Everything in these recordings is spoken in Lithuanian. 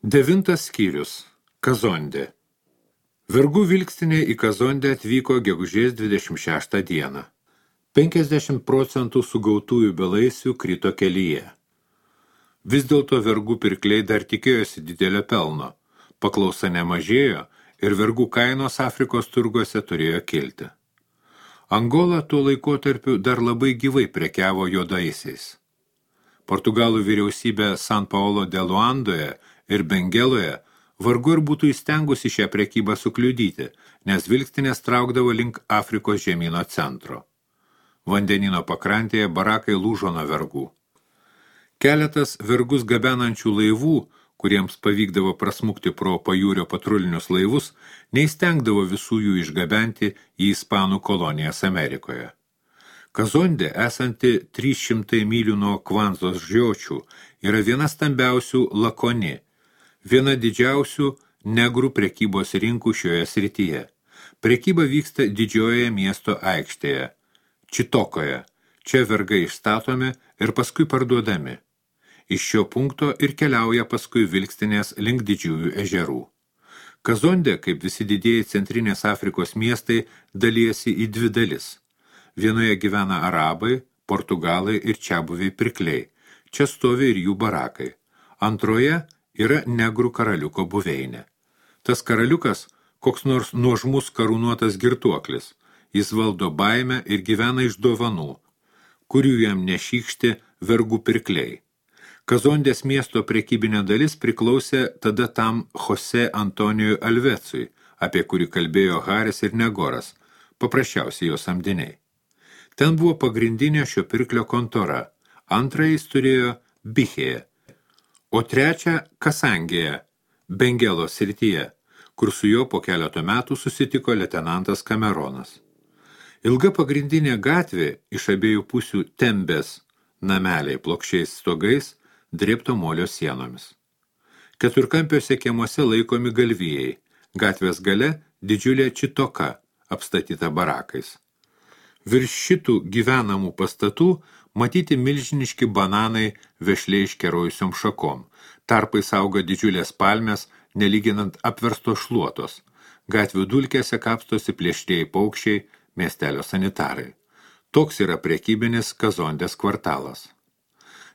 9 skyrius. Kazondė. Vergų vilkstinė į Kazondę atvyko gegužės 26 dieną. 50% sugautųjų belaisvių krito kelyje. Vis dėlto vergų pirkliai dar tikėjosi didelio pelno. Paklausa nemažėjo ir vergų kainos Afrikos turguose turėjo kilti. Angola tuo laikotarpiu dar labai gyvai prekiavo juodaisiais. Portugalų vyriausybė San Paulo de Luandoje ir Bengeloje vargu ir būtų įstengusi šią prekybą sukliudyti, nes vilkstinės traukdavo link Afrikos žemyno centro. Vandenino pakrantėje barakai lūžo nuo vergų. Keletas vergus gabenančių laivų, kuriems pavykdavo prasmukti pro pajūrio patrulinius laivus, neįstengdavo visų jų išgabenti į Ispanų kolonijas Amerikoje. Kazondė, esanti 300 mylių nuo Kvanzos žiočių, yra viena stambiausių Lakoni, viena didžiausių negrų prekybos rinkų šioje srityje. Prekyba vyksta didžiojoje miesto aikštėje, Čitokoje. Čia vergai išstatomi ir paskui parduodami. Iš šio punkto ir keliauja paskui vilkstinės link didžiųjų ežerų. Kazondė, kaip visi didieji centrinės Afrikos miestai, dalijasi į dvi dalis. Vienoje gyvena arabai, portugalai ir čiabuviai pirkliai. Čia stovi ir jų barakai. Antroje yra negrų karaliuko buveinė. Tas karaliukas koks nors nuožmus karūnuotas girtuoklis. Jis valdo baimę ir gyvena iš dovanų, kurių jam nešykšti vergų pirkliai. Kazondės miesto prekybinė dalis priklausė tada tam Jose Antonijui Alvecui, apie kurį kalbėjo Haris ir Negoras, paprasčiausiai jo samdiniai. Ten buvo pagrindinė šio pirklio kontora, antrą jis turėjo Bichėje, o trečią Kasangėje, Bengelo srityje, kur su juo po keleto metų susitiko leitenantas Kameronas. Ilga pagrindinė gatvė iš abiejų pusių tembės nameliai plokščiais stogais, drėbto molio sienomis. Keturkampiuose kiemuose laikomi galvijai, gatvės gale didžiulė Čitoka, apstatyta barakais. Virš šitų gyvenamų pastatų matyti milžiniški bananai vešliai iškerojusiom šakom, tarpais auga didžiulės palmės, nelyginant apverstos šluotos. Gatvių dulkėse kapstosi plėšrieji paukščiai, miestelio sanitarai. Toks yra prekybinis Kazondės kvartalas.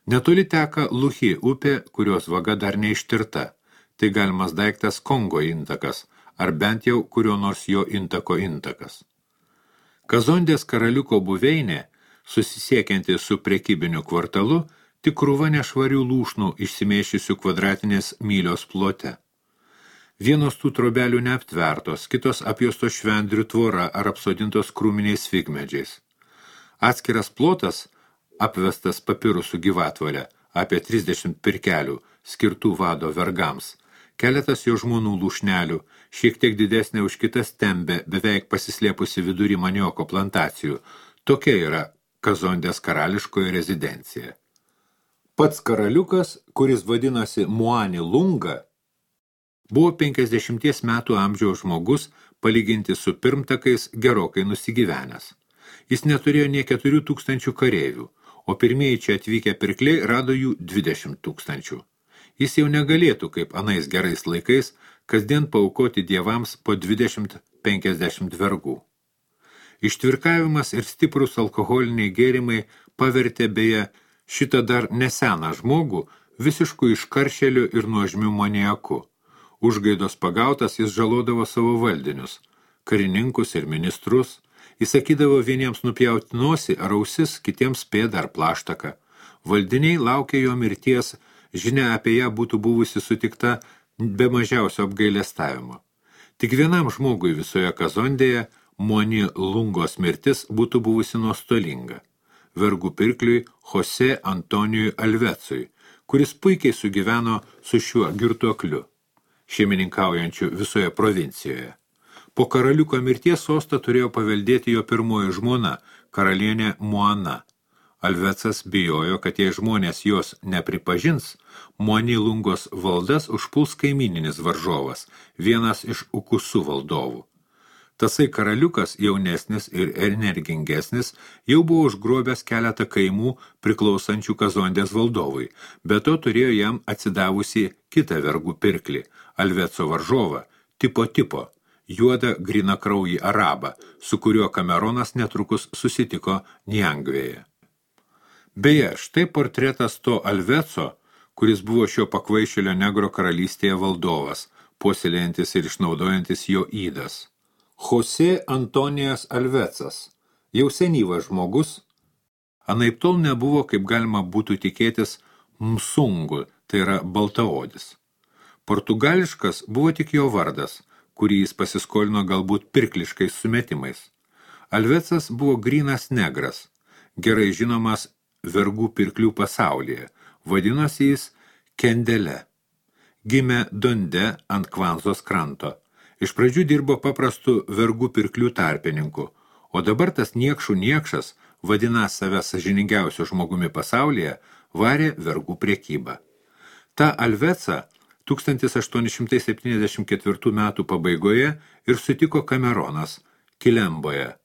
Netoli teka Luhi upė, kurios vaga dar neištirta. Tai galimas daiktas Kongo intakas, ar bent jau kurio nors jo intako intakas. Kazondės karaliuko buveinė, susisiekianti su prekybiniu kvartalu, tik krūva nešvarių lūšnų išsimėšysių kvadratinės mylios plote. Vienos tų trobelių neaptvertos, kitos apjuostos švendrių tvora ar apsodintos krūminiais figmedžiais. Atskiras plotas, apvestas papirusų gyvatvorę, apie 30 pirkelių, skirtų vado vergams. Keletas jo žmonų lūšnelių, šiek tiek didesnė už kitas tembė, beveik pasislėpusi vidury manioko plantacijų. Tokia yra Kazondės karališkoji rezidencija. Pats karaliukas, kuris vadinosi Muani Lunga, buvo 50 metų amžiaus žmogus, palyginti su pirmtakais gerokai nusigyvenęs. Jis neturėjo nie 4000 kareivių, o pirmieji čia atvykę pirkliai rado jų 20 000. Jis jau negalėtų, kaip anais gerais laikais, kasdien paaukoti dievams po 20-50 vergų. Ištvirkavimas ir stiprus alkoholiniai gėrimai pavertė beje šitą dar neseną žmogų visiškų iškaršelių ir nuožmių maniaku. Užgaidos pagautas jis žalodavo savo valdinius, karininkus ir ministrus, jis sakydavo vieniems nupjauti nosį ar ausis, kitiems pėdą ar plaštaką. Valdiniai laukė jo mirties, žinia apie ją būtų buvusi sutikta be mažiausio apgailestavimo. Tik vienam žmogui visoje Kazondėje Muani Lungos mirtis būtų buvusi nuostolinga. Vergų pirkliui Jose Antonijui Alvecui, kuris puikiai sugyveno su šiuo girtuokliu, šeimininkaujančių visoje provincijoje. Po karaliuko mirties sostą turėjo paveldėti jo pirmoji žmona, karalienė Muana. Alvecas bijojo, kad jei žmonės jos nepripažins, Muani Lungos valdas užpuls kaimyninis varžovas, vienas iš Ukusų valdovų. Tasai karaliukas, jaunesnis ir energingesnis, jau buvo užgrobęs keletą kaimų priklausančių Kazondės valdovui, be to turėjo jam atsidavusi kitą vergų pirklį, Alveco varžovą, tipo, juodą grynakraujį arabą, su kuriuo Kameronas netrukus susitiko Niangvėje. Beje, štai portretas to Alveco, kuris buvo šio pakvaišėlio negro karalystėje valdovas, puoselėjantis ir išnaudojantis jo ydas. Jose Antonijas Alvecas, jau senyvas žmogus, anaiptol nebuvo, kaip galima būtų tikėtis, msungu, tai yra baltaodis. Portugališkas buvo tik jo vardas, kurį jis pasiskolino galbūt pirkliškais sumetimais. Alvecas buvo grynas negras, gerai žinomas vergų pirklių pasaulyje, vadinosi jis Kendele. Gimė Donde ant Kvanzos kranto. Iš pradžių dirbo paprastu vergų pirklių tarpininku, o dabar tas niekšų niekšas, vadinąs save sąžiningiausiu žmogumi pasaulyje, varė vergų priekybą. Ta Alveca 1874 metų pabaigoje ir sutiko Kameronas, Kilemboje,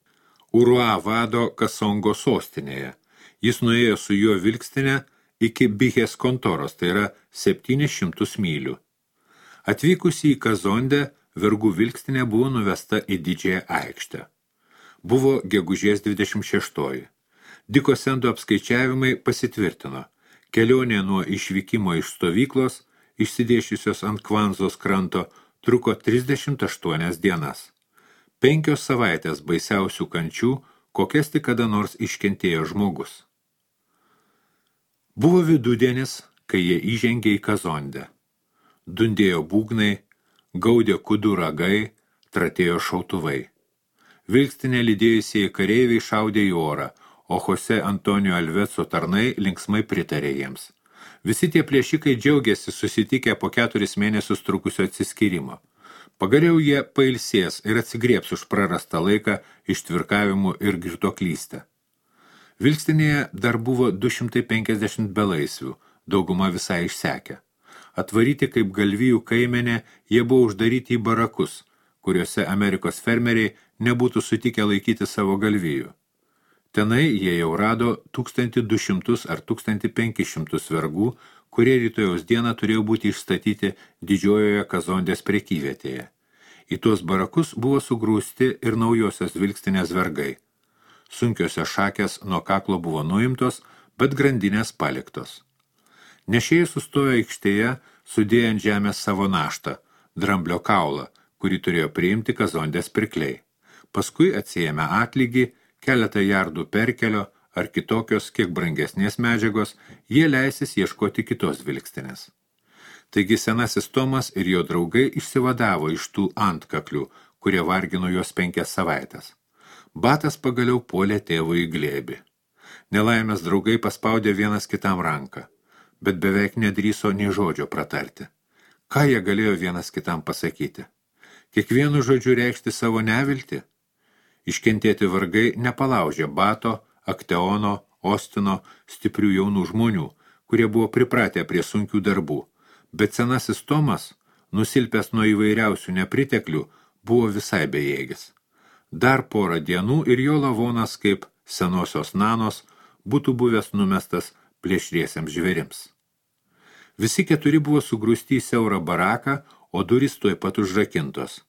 Urua vado Kasongo sostinėje. Jis nuėjo su juo vilkstinę iki Bihės kontoros, tai yra 700 mylių. Atvykusi į Kazondę, vergų vilkstinė buvo nuvesta į didžiąją aikštę. Buvo gegužės 26. Diko Sendo apskaičiavimai pasitvirtino. Kelionė nuo išvykimo iš stovyklos, išsidėšiusios ant Kvanzos kranto, truko 38 dienas. 5 savaitės baisiausių kančių, kokias tik kada nors iškentėjo žmogus. Buvo vidudienis, kai jie įžengė į Kazondę. Dundėjo būgnai, gaudė kudų ragai, tratėjo šautuvai. Vilkstinė lydėjusieji kareiviai šaudė į orą, o Jose Antonijo Alveco tarnai linksmai pritarė jiems. Visi tie plėšikai džiaugiasi susitikę po 4 mėnesius trukusio atsiskyrimo. Pagaliau jie pailsės ir atsigriebs už prarastą laiką ištvirkavimų ir girtuoklystę. Vilkstinėje dar buvo 250 belaisvių, dauguma visai išsekę. Atvaryti kaip galvijų kaimenė, jie buvo uždaryti į barakus, kuriuose Amerikos fermeriai nebūtų sutikę laikyti savo galvijų. Tenai jie jau rado 1200 ar 1500 vergų, kurie rytojaus dieną turėjo būti išstatyti didžiojoje Kazondės prekyvietėje. Į tuos barakus buvo sugrūsti ir naujosios vilkstinės vergai. Sunkiosios šakės nuo kaklo buvo nuimtos, bet grandinės paliktos. Nešėjai sustojo aikštėje, sudėję ant žemės savo naštą, dramblio kaulą, kurį turėjo priimti Kazondės pirkliai. Paskui atsiėmė atlygį, keletą jardų perkelio ar kitokios, kiek brangesnės medžiagos, jie leisis ieškoti kitos vilkstinės. Taigi senasis Tomas ir jo draugai išsivadavo iš tų antkaklių, kurie vargino juos 5 savaites. Batas pagaliau puolė tėvui į glėbį. Nelaimės draugai paspaudė vienas kitam ranką, bet beveik nedrįso nei žodžio pratarti. Ką jie galėjo vienas kitam pasakyti? Kiekvienu žodžiu reikšti savo neviltį? Iškentėti vargai nepalaužė Bato, Akteono, Ostino, stiprių jaunų žmonių, kurie buvo pripratę prie sunkių darbų, bet senasis Tomas, nusilpęs nuo įvairiausių nepriteklių, buvo visai bejėgis. Dar porą dienų ir jo lavonas kaip senosios nanos būtų buvęs numestas plėšriesiems žvėrims. Visi 4 buvo sugrūsti į siaurą baraką, o durys tuoj pat užrakintos.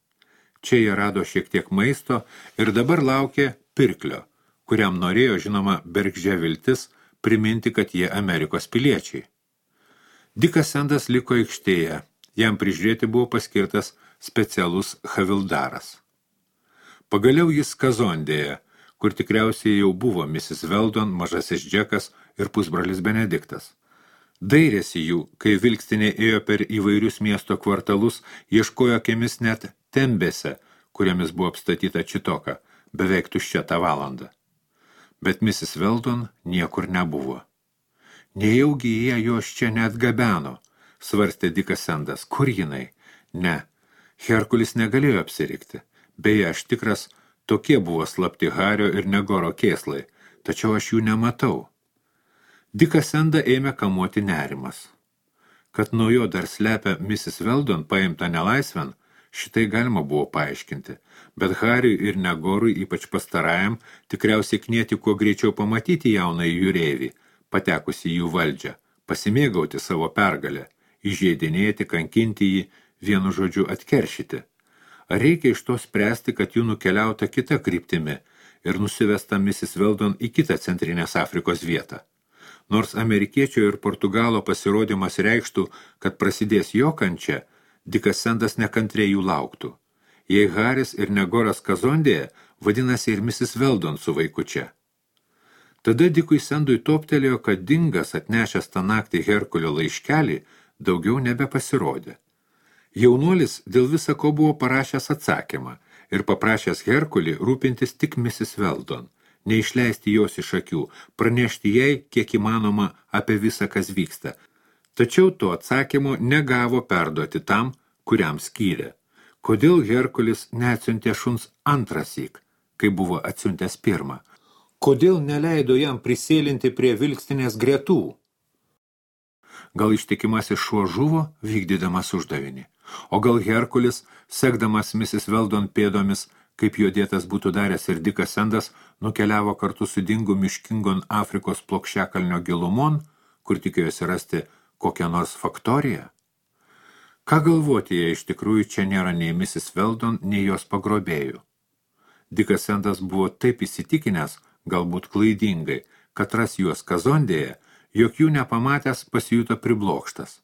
Čia jie rado šiek tiek maisto ir dabar laukė pirklio, kuriam norėjo, žinoma, bergždžia viltis priminti, kad jie Amerikos piliečiai. Dikas Sendas liko aikštėje, jam prižiūrėti buvo paskirtas specialus havildaras. Pagaliau jis Kazondėje, kur tikriausiai jau buvo Mrs. Weldon, mažasis Džekas ir pusbrolis Benediktas. Dairėsi jų, kai vilkstinė ėjo per įvairius miesto kvartalus, ieškojo akimis net tembėse, kuriamis buvo apstatyta čitoka, beveik tuščia tą valandą. Bet Mrs. Weldon niekur nebuvo. Nejaugi jie jos čia neatgabeno, svarstė Dikas Sendas. Kur jinai? Ne, Herkulis negalėjo apsirikti. Beje, aš tikras, tokie buvo slapti Hario ir Negoro kėslai, tačiau aš jų nematau. Diką Sendą ėmė kamuoti nerimas. Kad nuo jo dar slepia Mrs. Weldon paimta nelaisven, Šitai galima buvo paaiškinti, bet Hariui ir Negorui, ypač pastarajam, tikriausiai knieti kuo greičiau pamatyti jaunąjį jūreivį, patekusi jų valdžią, pasimėgauti savo pergalę, įžeidinėti, kankinti jį, vienu žodžiu atkeršyti. Ar reikia iš to spręsti, kad jų nukeliauta kita kryptimi ir nusivesta Mrs. Weldon į kitą Centrinės Afrikos vietą? Nors amerikiečio ir Portugalo pasirodymas reikštų, kad prasidės jo kančia, Dikas Sendas nekantriai jų lauktų. Jei Haris ir Negoras Kazondėje, vadinasi ir Mrs. Weldon su vaikučia. Tada Dikui Sendui toptelėjo, kad Dingas atnešęs tą naktį Herkulio laiškelį daugiau nebepasirodė. Jaunuolis dėl visa ko buvo parašęs atsakymą ir paprašęs Herkulį rūpintis tik Mrs. Weldon, neišleisti jos iš akių, pranešti jai, kiek įmanoma, apie visą, kas vyksta. Tačiau to atsakymo negavo perduoti tam, kuriam skyrė. Kodėl Herkulis neatsiuntė šuns antrąsyk, kai buvo atsiuntęs pirmą? Kodėl neleido jam prisėlinti prie vilkstinės gretų? Gal ištikimasis šuo žuvo, vykdydamas uždavinį? O gal Herkulis, sekdamas Mrs. Weldon pėdomis, kaip jo dėtas būtų daręs ir Dikas Sendas, nukeliavo kartu su Dingu miškingon Afrikos plokščiakalnio gilumon, kur tikėjosi rasti kokią nors faktoriją? Ką galvoti, jei iš tikrųjų čia nėra nei Mrs. Weldon, nei jos pagrobėjų? Dikas Sendas buvo taip įsitikinęs, galbūt klaidingai, kad ras juos Kazondėje, jog jų nepamatęs pasijuto priblokštas.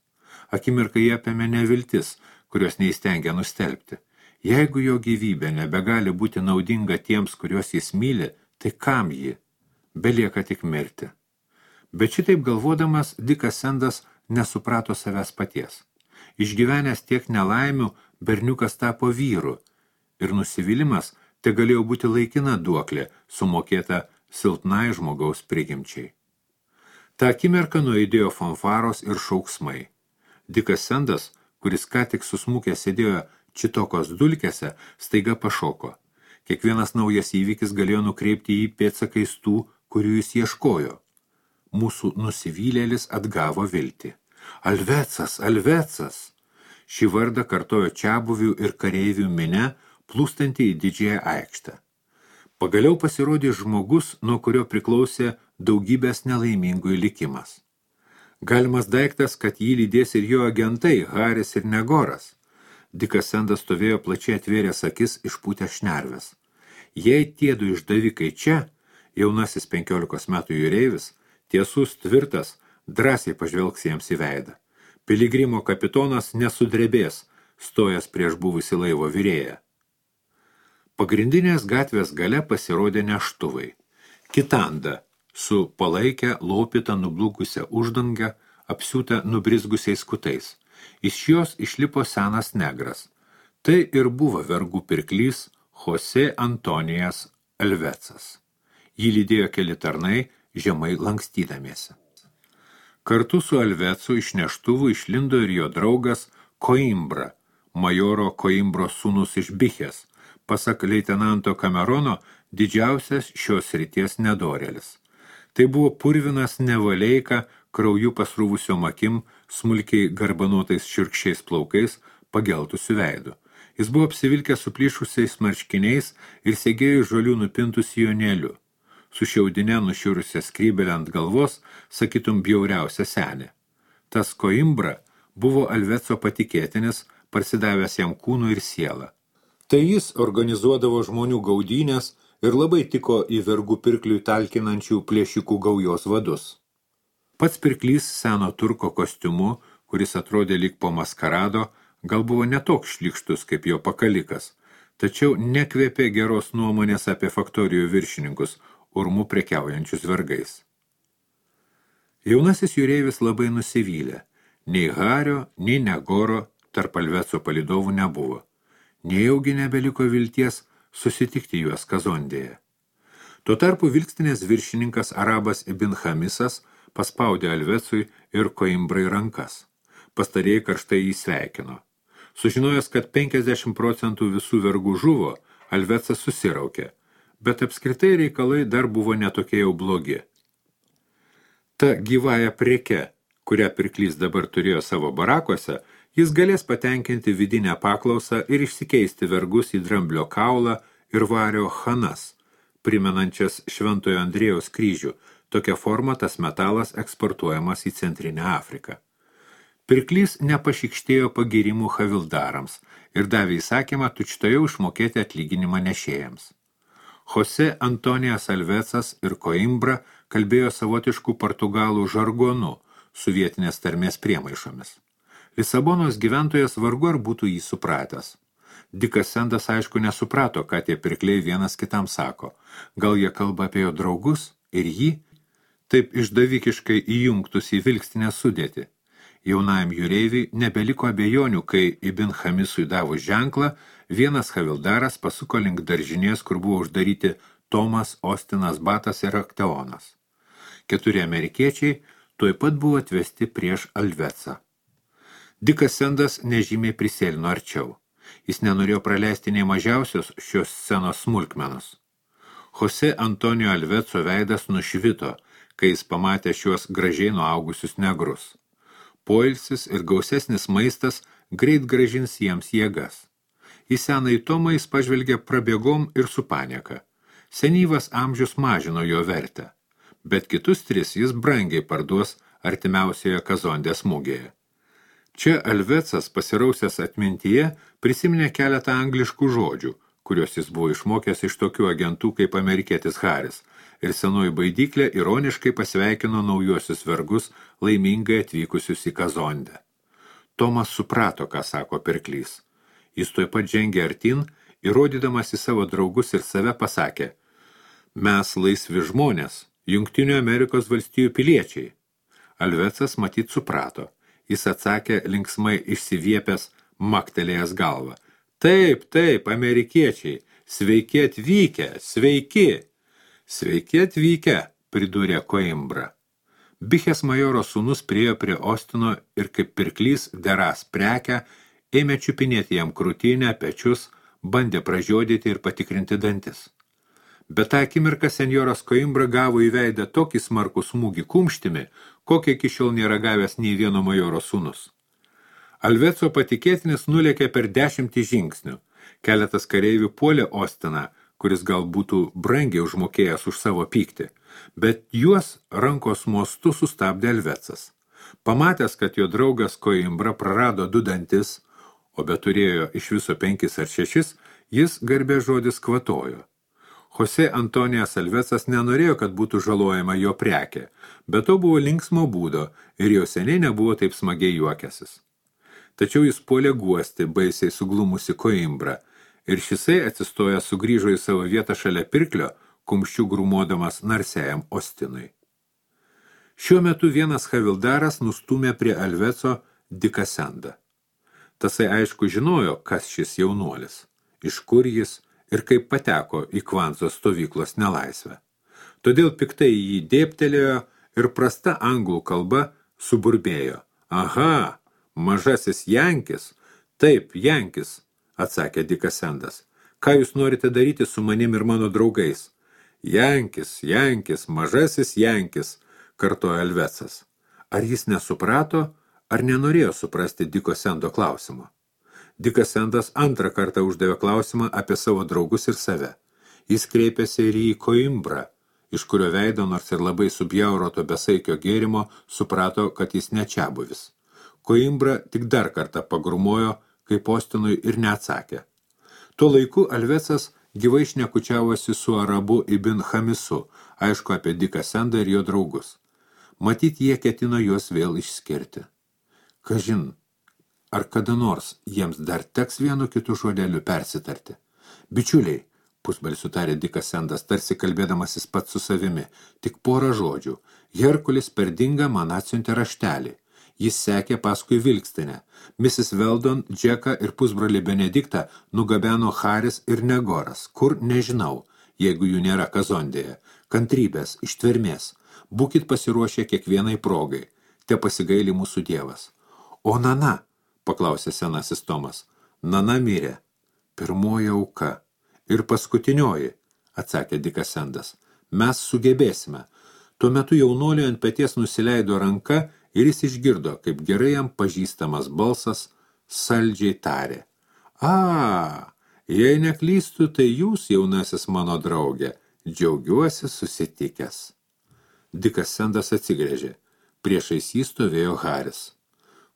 Akimirkai jie apėmė neviltis, kurios neįstengia nustelbti. Jeigu jo gyvybė nebegali būti naudinga tiems, kuriuos jis myli, tai kam ji? Belieka tik mirti. Bet šitaip galvodamas, Dikas Sendas nesuprato savęs paties. Išgyvenęs tiek nelaimių, berniukas tapo vyru ir nusivylimas te galėjo būti laikina duoklė, sumokėta silpnai žmogaus prigimčiai. Ta akimirka nuaidėjo fanfaros ir šauksmai. Dikas Sendas, kuris ką tik susmukęs sėdėjo Čitokos dulkėse, staiga pašoko. Kiekvienas naujas įvykis galėjo nukreipti jį pėdsakais tų, kurių jis ieškojo. Mūsų nusivylėlis atgavo viltį. Alvecas, Alvecas! Šį vardą kartojo čiabuvių ir kareivių minia, plūstanti į didžiąją aikštę. Pagaliau pasirodė žmogus, nuo kurio priklausė daugybės nelaimingųjų likimas. Galimas daiktas, kad jį lydės ir jo agentai, Haris ir Negoras. Dikas Sendas stovėjo plačiai atvėręs akis išpūtę šnerves. Jei tiedu išdavikai čia, jaunasis 15 metų jūreivis, tiesus, tvirtas, drąsiai pažvelgs jiems į veidą. Piligrimo kapitonas nesudrebės, stojas prieš buvusį laivo virėją. Pagrindinės gatvės gale pasirodė neštuvai. Kitanda, su palaikę, lopytą, nublūkusią uždangą, apsiūtą nubrizgusiais kutais. Iš jos išlipo senas negras. Tai ir buvo vergų pirklys Jose Antonijas Alvecas. Jį lydėjo keli tarnai, žemai lankstydamiesi. Kartu su Alvecu iš neštuvų išlindo ir jo draugas Koimbra, majoro Koimbro sūnus iš Bichės, pasak leitenanto Kamerono, didžiausias šios srities nedorėlis. Tai buvo purvinas nevaleika, krauju pasrūvusiom akim, smulkiai garbanotais šiurkščiais plaukais, pageltusiu veidu. Jis buvo apsivilkęs suplyšusiais marškiniais ir segėjo žolių nupintų sijonėliu. Su šiaudine nušiurusią skrybelę ant galvos, sakytum bjauriausia senė. Tas Koimbra buvo Alveco patikėtinis, parsidavęs jam kūnu ir sielą. Tai jis organizuodavo žmonių gaudynės ir labai tiko į vergų pirkliui talkinančių plėšikų gaujos vadus. Pats pirklys seno turko kostiumu, kuris atrodė lyg po maskarado, gal buvo netoks šlykštus kaip jo pakalikas, tačiau nekvėpė geros nuomonės apie faktorijų viršininkus, urmu prekiaujančius vergais. Jaunasis jūreivis labai nusivylė. Nei Hario, nei Negoro tarp Alveco palydovų nebuvo. Nejaugi nebeliko vilties susitikti juos Kazondėje. Tuo tarpu vilkstinės viršininkas Arabas Ibn Hamisas paspaudė Alvecui ir Koimbrai rankas. Pastarėjai karštai jį sveikino. Sužinojęs, kad 50% visų vergų žuvo, Alvecas susiraukė, bet apskritai reikalai dar buvo netokie jau blogi. Ta gyvąja preke, kurią pirklys dabar turėjo savo barakuose, Jis galės patenkinti vidinę paklausą ir išsikeisti vergus į dramblio kaulą ir vario chanas, primenančias Šventojo Andriejaus kryžių. Tokia forma tas metalas eksportuojamas į Centrinę Afriką. Pirklys nepašykštėjo pagirimų havildarams ir davė įsakymą tučtoje išmokėti atlyginimą nešėjams. Jose Antonijas Alvecas ir Coimbra kalbėjo savotiškų portugalų žargonu su vietinės tarmės priemaišomis. Lisabonos gyventojas vargu ar būtų jį supratęs. Dikas Sendas aišku nesuprato, ką tie pirkliai vienas kitam sako. Gal jie kalba apie jo draugus ir jį, taip išdavikiškai įjungtus į vilkstinę sudėtį. Jaunajam jūreiviui nebeliko abejonių, kai Ibn Hamisui davus ženklą, vienas havildaras pasuko link daržinės, kur buvo uždaryti Tomas, Ostinas, Batas ir Akteonas. 4 amerikiečiai tuoj pat buvo atvesti prieš Alvecą. Dikas Sendas nežymiai prisėlino arčiau. Jis nenorėjo praleisti nei mažiausios šios scenos smulkmenos. Jose Antonijo Alveco veidas nušvito, kai jis pamatė šiuos gražiai nuaugusius negrus. Poilsis ir gausesnis maistas greit grąžins jiems jėgas. Į senąjį Tomą jis pažvelgė prabėgom ir su panieka. Senyvas amžius mažino jo vertę, bet kitus 3 jis brangiai parduos artimiausioje Kazondės mugėje. Čia Alvecas, pasirausęs atmintyje, prisiminė keletą angliškų žodžių, kuriuos jis buvo išmokęs iš tokių agentų kaip amerikietis Haris, ir senoji baidyklė ironiškai pasveikino naujuosius vergus laimingai atvykusius į Kazondę. Tomas suprato, ką sako pirklys. Jis tuoj pat žengė artin, įrodydamas į savo draugus ir save pasakė: mes laisvi žmonės, Jungtinių Amerikos valstijų piliečiai. Alvecas matyt suprato. Jis atsakė linksmai išsiviepęs, maktelėjęs galvą. Taip, amerikiečiai, sveiki atvykę, sveiki. Sveiki atvykę, pridūrė Coimbra. Bichės majoro sūnus priėjo prie Ostino ir kaip pirklys deras prekę, ėmė čiupinėti jam krūtinę, pečius, bandė pražiodyti ir patikrinti dantis. Bet tą akimirką senjoras Coimbra gavo į veidą tokį smarkų smūgį kumštimi, kokį iki šiol nėra gavęs nei vieno majoro sūnus. Alveco patikėtinis nulėkė per 10 žingsnių. Keletas kareivių puolė Ostiną, kuris gal būtų brangiai užmokėjęs už savo pyktį, bet juos rankos mostu sustabdė Alvecas. Pamatęs, kad jo draugas Coimbra prarado 2 dantis, o bet turėjo iš viso 5 ar 6, jis garbės žodis kvatojo. Jose Antonijas Alvecas nenorėjo, kad būtų žalojama jo prekė, bet to buvo linksmo būdo ir jau seniai nebuvo taip smagiai juokęsis. Tačiau jis puolė guosti baisiai suglumusi Coimbra ir šisai atsistoja sugrįžo į savo vietą šalia pirklio, kumščių grūmodamas narsiajam Ostinui. Šiuo metu vienas havildaras nustūmė prie Alveco Diką Sendą. Tasai aišku žinojo, kas šis jaunuolis, iš kur jis ir kaip pateko į Kvanzos stovyklos nelaisvę. Todėl piktai jį dėptelėjo ir prasta anglų kalba suburbėjo. Aha, mažasis Jankis. Taip, Jankis, atsakė Dikas Sendas. Ką jūs norite daryti su manim ir mano draugais? Jankis, mažasis Jankis, kartojo Alvecas. Ar jis nesuprato, ar nenorėjo suprasti Diko Sendo klausimo? Dikas Sendas antrą kartą uždavė klausimą apie savo draugus ir save. Jis kreipėsi ir į Coimbra, iš kurio veido, nors ir labai subjauroto besaikio gėrimo, suprato, kad jis nečiabuvis. Coimbra tik dar kartą pagrumojo, kaip Ostinui ir neatsakė. Tuo laiku Alvecas gyvai šnekučiavosi su arabu Ibn Hamisu, aišku apie Diką Sendą ir jo draugus. Matyt, jie ketino juos vėl išskirti. Kažin, ar kada nors jiems dar teks vienu kitu žodeliu persitarti? Bičiuliai, pusbalsiu tarė Dikas Sendas, tarsi kalbėdamasis pats su savimi, tik porą žodžių. Herkulis per dingą man atsiuntė raštelį. Jis sekė paskui vilkstinę. Mrs. Weldon, Džeką ir pusbrolį Benediktą nugabeno Haris ir Negoras. Kur nežinau, jeigu jų nėra Kazondėje. Kantrybės, ištvermės. Būkit pasiruošę kiekvienai progai. Te pasigaili mūsų dievas. O Nana, paklausė senasis Tomas. Nana mirė. Pirmoji auka. Ir paskutinioji, atsakė Dikas Sendas. Mes sugebėsime. Tuo metu jaunuoliui ant peties nusileido ranka ir jis išgirdo, kaip gerai jam pažįstamas balsas saldžiai tarė. Jei neklystu, tai jūs, jaunasis mano draugė, džiaugiuosi susitikęs. Dikas Sendas atsigręžė. Priešais jį stovėjo Haris.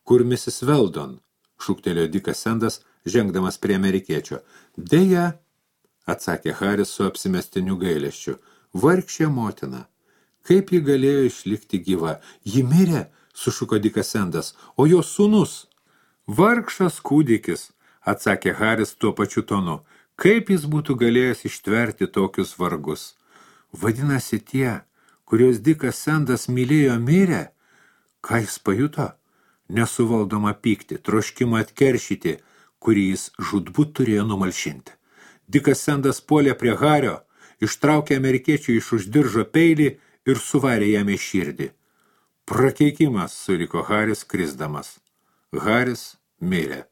Kur Mrs. Weldon? Šūktelėjo Dikas Sendas, žengdamas prie amerikiečio. Deja, atsakė Haris su apsimestiniu gailesčiu. Vargšė motina. Kaip ji galėjo išlikti gyva? Ji mirė, sušuko Dikas Sendas, o jos sūnus? Vargšas kūdikis, atsakė Haris tuo pačiu tonu. Kaip jis būtų galėjęs ištverti tokius vargus? Vadinasi tie, kurios Dikas Sendas mylėjo mirė? Ką jis pajuto? Nesuvaldoma pyktį, troškimą atkeršyti, kurį jis žūtbūt turėjo numalšinti. Dikas Sendas puolė prie Hario, ištraukė amerikiečių iš už diržo peilį ir suvarė jam į širdį. Prakeikimas, suriko Haris krisdamas. Haris mirė.